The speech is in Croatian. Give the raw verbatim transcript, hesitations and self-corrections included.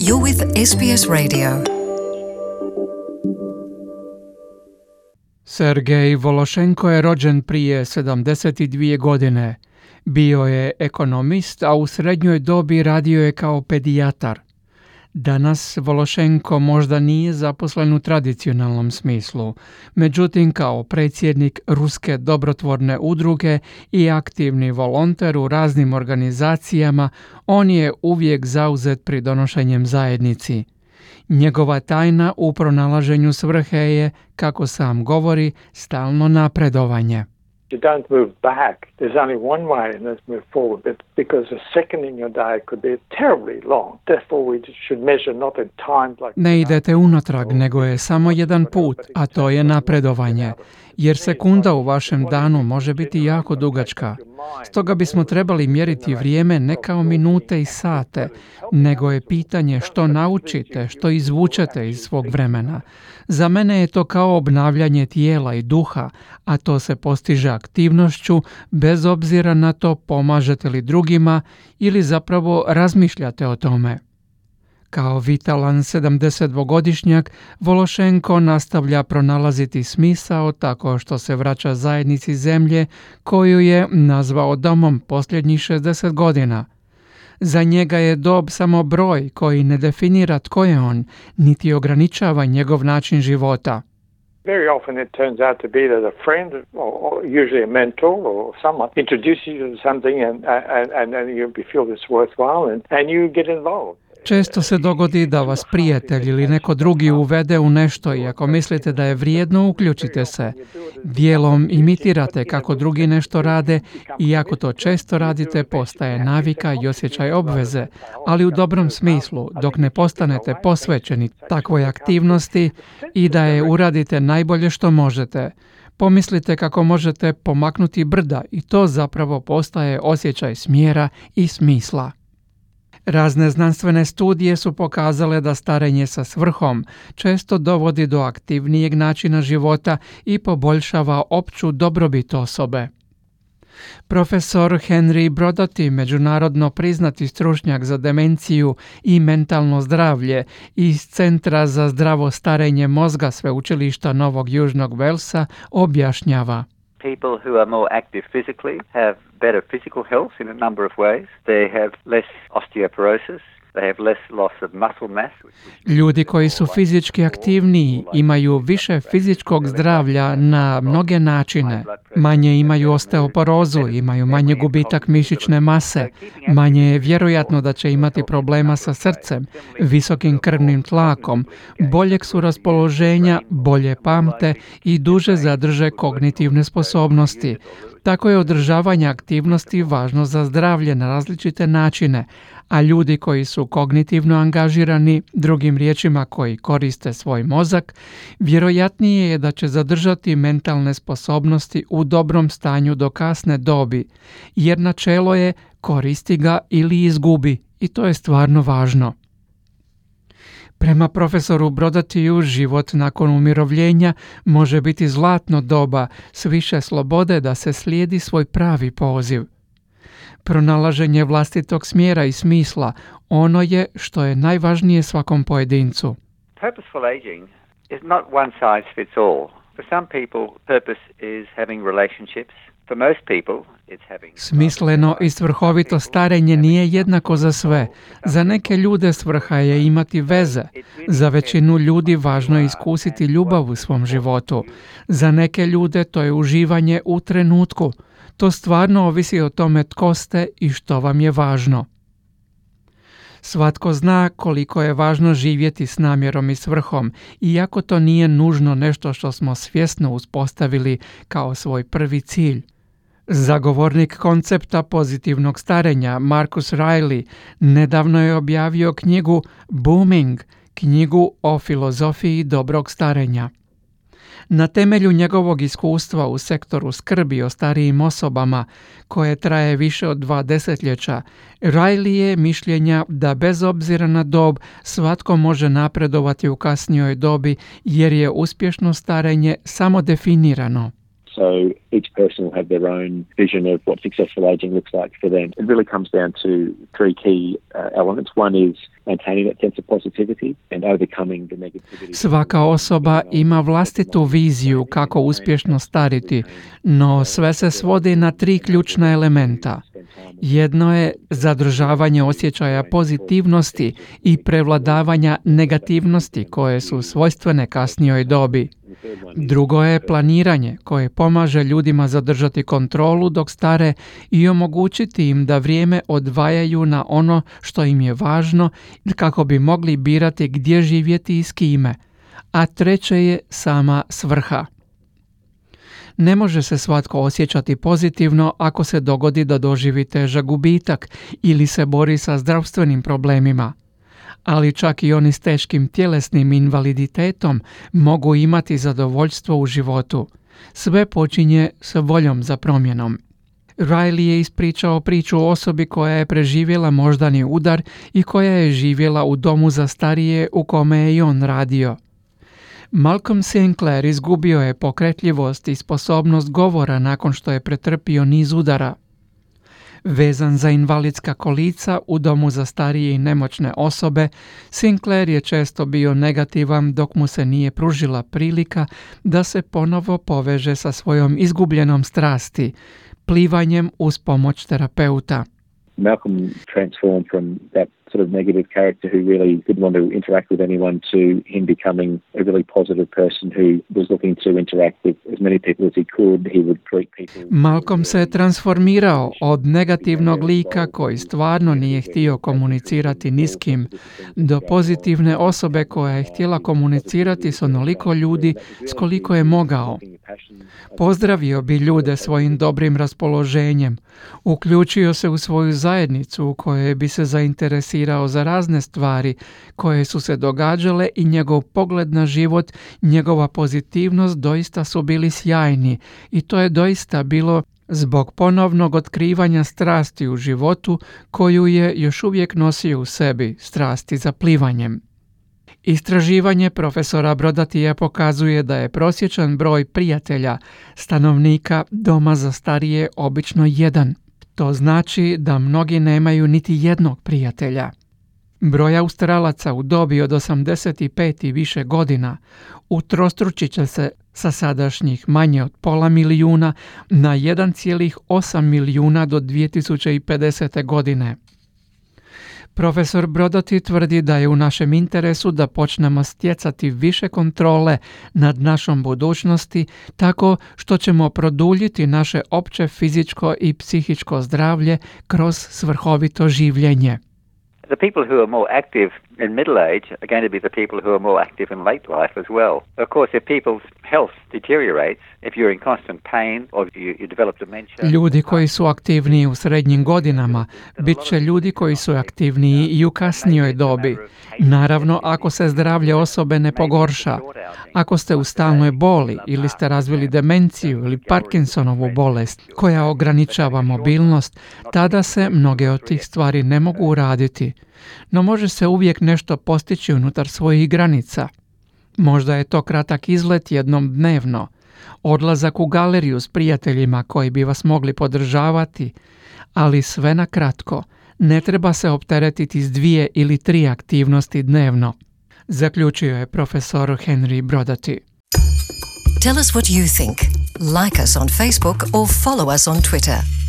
You're with S B S Radio. Sergej Vološenko je rođen prije sedamdeset dvije godine. Bio je ekonomist, a u srednjoj dobi radio je kao pedijatar. Danas Vološenko možda nije zaposlen u tradicionalnom smislu, međutim kao predsjednik Ruske dobrotvorne udruge i aktivni volonter u raznim organizacijama, on je uvijek zauzet pridonošenjem zajednici. Njegova tajna u pronalaženju svrhe je, kako sam govori, stalno napredovanje. You don't move back. There's only one way, and that's move forward. But because a second in your day could be terribly long, therefore we should measure not in times like... Ne idete unatrag, nego je samo jedan put, a to je napredovanje. Jer sekunda u vašem danu može biti jako dugačka. Stoga bismo trebali mjeriti vrijeme ne kao minute i sate, nego je pitanje što naučite, što izvučete iz svog vremena. Za mene je to kao obnavljanje tijela i duha, a to se postiže aktivnošću, bez obzira na to pomažete li drugima ili zapravo razmišljate o tome. Kao vitalan sedamdesetdvogodišnjak, Vološenko nastavlja pronalaziti smisao tako što se vraća zajednici zemlje koju je nazvao domom posljednjih šezdeset godina. Za njega je dob samo broj koji ne definira tko je on, niti ograničava njegov način života. Very often it turns out to be that a friend, or, or usually a mentor or someone, introduces you to something and, and, and, and you feel it's worthwhile and, and you get involved. Često se dogodi da vas prijatelj ili neko drugi uvede u nešto i ako mislite da je vrijedno, uključite se. Dijelom imitirate kako drugi nešto rade i ako to često radite, postaje navika i osjećaj obveze, ali u dobrom smislu, dok ne postanete posvećeni takvoj aktivnosti i da je uradite najbolje što možete. Pomislite kako možete pomaknuti brda i to zapravo postaje osjećaj smjera i smisla. Razne znanstvene studije su pokazale da starenje sa svrhom često dovodi do aktivnijeg načina života i poboljšava opću dobrobit osobe. Profesor Henry Brodaty, međunarodno priznati stručnjak za demenciju i mentalno zdravlje iz Centra za zdravo starenje mozga Sveučilišta Novog Južnog Walesa, objašnjava. People who are more active physically have better physical health in a number of ways. They have less osteoporosis. They have less loss of muscle mass. Ljudi koji su fizički aktivniji imaju više fizičkog zdravlja na mnoge načine. Manje imaju osteoporozu, imaju manje gubitak mišićne mase, manje je vjerojatno da će imati problema sa srcem, visokim krvnim tlakom, boljeg su raspoloženja, bolje pamte i duže zadrže kognitivne sposobnosti. Tako je održavanje aktivnosti važno za zdravlje na različite načine, a ljudi koji su kognitivno angažirani, drugim riječima koji koriste svoj mozak, vjerojatnije je da će zadržati mentalne sposobnosti u dobrom stanju do kasne dobi, jer načelo je koristi ga ili izgubi i to je stvarno važno. Prema profesoru Brodatyju, život nakon umirovljenja može biti zlatno doba s više slobode da se slijedi svoj pravi poziv. Pronalaženje vlastitog smjera i smisla, ono je što je najvažnije svakom pojedincu. Purposeful aging is not one size fits all. For some people, purpose is having relationships. For most people, it's having... Smisleno i svrhovito starenje nije jednako za sve. Za neke ljude svrha je imati veze. Za većinu ljudi važno je iskusiti ljubav u svom životu. Za neke ljude to je uživanje u trenutku. To stvarno ovisi o tome tko ste i što vam je važno. Svatko zna koliko je važno živjeti s namjerom i svrhom, iako to nije nužno nešto što smo svjesno uspostavili kao svoj prvi cilj. Zagovornik koncepta pozitivnog starenja Marcus Riley nedavno je objavio knjigu Booming, knjigu o filozofiji dobrog starenja. Na temelju njegovog iskustva u sektoru skrbi o starijim osobama, koje traje više od dva desetljeća, Riley je mišljenja da bez obzira na dob svatko može napredovati u kasnijoj dobi jer je uspješno starenje samo definirano. So each person will have their own vision of what successful aging looks like for them. It really comes down to three key uh, elements. One is maintaining that sense of positivity and overcoming the negativity. Svaka osoba ima vlastitu viziju kako uspješno stariti, no sve se svodi na tri ključna elementa. Jedno je zadržavanje osjećaja pozitivnosti i prevladavanja negativnosti koje su svojstvene kasnijoj dobi. Drugo je planiranje koje pomaže ljudima zadržati kontrolu dok stare i omogućiti im da vrijeme odvajaju na ono što im je važno kako bi mogli birati gdje živjeti i s kime. A treće je sama svrha. Ne može se svatko osjećati pozitivno ako se dogodi da doživi težak gubitak ili se bori sa zdravstvenim problemima. Ali čak i oni s teškim tjelesnim invaliditetom mogu imati zadovoljstvo u životu. Sve počinje sa voljom za promjenom. Riley je ispričao priču o osobi koja je preživjela moždani udar i koja je živjela u domu za starije u kome je i on radio. Malcolm Sinclair izgubio je pokretljivost i sposobnost govora nakon što je pretrpio niz udara. Vezan za invalidska kolica u domu za starije i nemoćne osobe, Sinclair je često bio negativan dok mu se nije pružila prilika da se ponovo poveže sa svojom izgubljenom strasti, plivanjem uz pomoć terapeuta. Malcolm transformed from that sort of negative character who really didn't want to interact with anyone to him becoming a really positive person who was looking to interact with as many people as he could. He would greet people. Malcolm se transformirao od negativnog lika koji stvarno nije htio komunicirati ni s kim do pozitivne osobe koja je htjela komunicirati s onoliko ljudi s koliko je mogao. Pozdravio bi ljude svojim dobrim raspoloženjem, uključio se u svoju zajednicu u kojoj bi se zainteresirao za razne stvari koje su se događale i njegov pogled na život, njegova pozitivnost doista su bili sjajni i to je doista bilo zbog ponovnog otkrivanja strasti u životu koju je još uvijek nosio u sebi, strasti za plivanjem. Istraživanje profesora Brodatija pokazuje da je prosječan broj prijatelja stanovnika doma za starije obično jedan. To znači da mnogi nemaju niti jednog prijatelja. Broj Australaca u dobi od osamdeset pet i više godina utrostručit će se sa sadašnjih manje od pola milijuna na jedan zarez osam milijuna do dvije tisuće pedesete. godine. Profesor Brodati tvrdi da je u našem interesu da počnemo stjecati više kontrole nad našom budućnosti tako što ćemo produljiti naše opće fizičko i psihičko zdravlje kroz svrhovito življenje. The people who are more active in middle age are going to be the people who are more active in late life as well. Of course, if people's health deteriorates, if you're in constant pain or you, you develop dementia... Ljudi koji su aktivniji u srednjim godinama bit će ljudi koji su aktivniji i u kasnijoj dobi. Naravno, ako se zdravlje osobe ne pogorša, ako ste u stalnoj boli ili ste razvili demenciju ili Parkinsonovu bolest koja ograničava mobilnost, tada se mnoge od tih stvari ne mogu uraditi. No može se uvijek nešto postići unutar svojih granica. Možda je to kratak izlet jednom dnevno, odlazak u galeriju s prijateljima koji bi vas mogli podržavati, ali sve na kratko, ne treba se opteretiti s dvije ili tri aktivnosti dnevno, zaključio je profesor Henry Brodati. Tell us what you think. Like us on Facebook or follow us on Twitter.